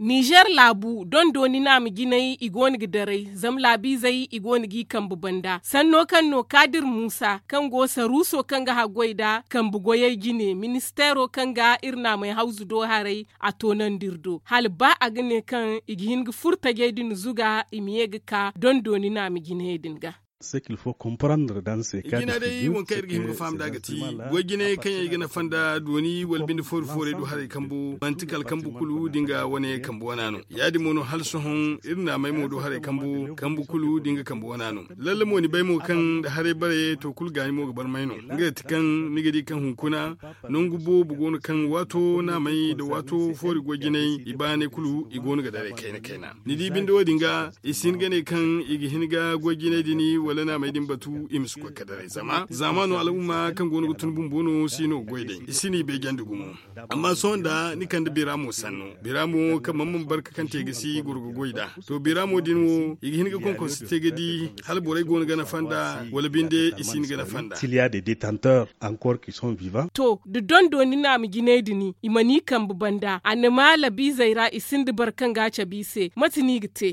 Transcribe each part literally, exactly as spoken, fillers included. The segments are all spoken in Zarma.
Nizer laabu dondooni naama jinay i go no ga daray zama laabiizey i go no g'i kambe banda sanno kaŋ no kaadir muusa kaŋ go saruuso kaŋ ga haggoy nd'a kambe goyey jine ministeero kaŋ ga iri naamey hawzu do haray. A toonandi iri do hala ba a ga ne kaŋ i ga hin ga furo tajey din zuga i ma ye ga ka dondooni naama jinayey din ga. I jina day waŋ kaŋ iri ga hin ga faham nd'a ga ti goy jinayey kaŋ yaŋ i ga nafa nda dooni wala binde foori foorey do haray kambo manti kala kambu kulu da nga wane kambu wana no. Ya- din mo no hala sohõ iri naamey mo do haray kambu kambu kulu da nga kambu wana no. Lalle mo ni bay mo kaŋ nda haray bare to kulu gaani mo ga barmay no. Nga ga ti kaŋ ni ga di kaŋ hunkuna nangu boobo go no kaŋ waato naamey nda waato foori goy jinay i baanay kulu i go no ga daray kayna kayna. Ni di binde wo- din ga i si hin ga ne kaŋ i ga hin ga goy jinay din wala naamey din batu i ma si koy ga daray zama zaamaano al'umma kaŋ go no ga tun bumbo no si no ga goy day i si no i beejandi gumo. Amma sohõ nda ni kande biraamo sanno biraamo kaŋ man man barka kaŋ te ga si goro ga goy nd'a. To biraamo din wo i ga hin ga konkonse te ga di hala borey go no ga nafa nda wala binde i si hin ga nafa nda. To da dondooni naama jinay din i mana i kambe banda a na ma labiizey ra i sinda boro kaŋ ga a cabe i se mate no i ga te?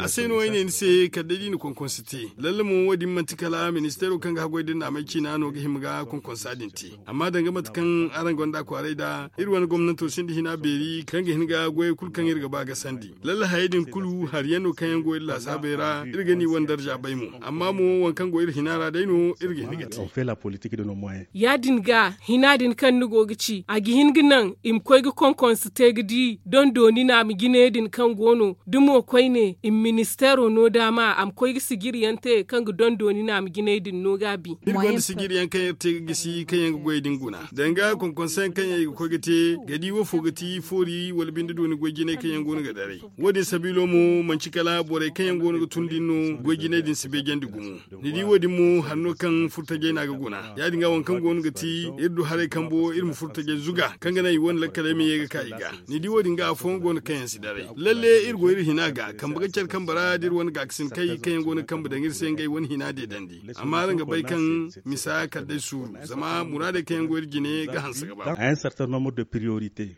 A se no ay ne ni se kala day da i na konkonse te lalle mo wo- din manti kala ministeero kaŋ ga haggoy da naamey ciina no ga hima ga konkonsa din te. Amma danga mate kaŋ araŋ gonda kwaaray nd'a iri wane gomnanto sinda hina beeri kaŋ ga hin ga goyey kulu kaŋ iri ga ba ga sandi. Lalle hayey din kulu hari yaŋ no kaŋ yaŋ go iri laasaabey ra iri ga ni wane darja bay mo. Amma mo waŋ kaŋ go iri hina ra day no iri ga hin ga te. Ya- din ga hina din kaŋ ni go ga ci a ga hin ga naŋ i ma koy ga konkonse te ga di dondooni naama jinay din kaŋ go no da mo koyne i ma ministeero no daama a ma koy ga sijiri yaŋ te kaŋ ga dondooni naama jinay din no gaabi. Iri gonda sijiri yaŋ kaŋ iri te ga gisi kaŋ yaŋ ga goyey din guna danga konkonse yaŋ kaŋ yaŋ i ga koy ga te ga di woofo ga ti foori wala binde dooni goy jinay kaŋ yaŋ go no ga daray. Wo- din sabiilo mo manci kala borey kaŋ yaŋ go no ga tun din no goy jinay din si beejandi gumo. Ni di wo- din mo hari no kaŋ furtajey no a ga guna ya- din ga waŋ kaŋ go no ga ti iri du haray kambo iri ma furtajey zuga kaŋ ga naŋ i wane lakkaley ma ye ga ka i ga. Ni di wo- din ga afooyaŋ go no kaŋ yaŋ si daray lalle iri go iri hina ga kambe ga care kambe ra da iri wane gaakasinakey kaŋ yaŋ go no ga kambe daŋ iri se ngey wane hina deedandi. Amma araŋ ga bay kaŋ misa kala day suuru zama muraadey kaŋ yaŋ go iri jine ga hanse ga ba.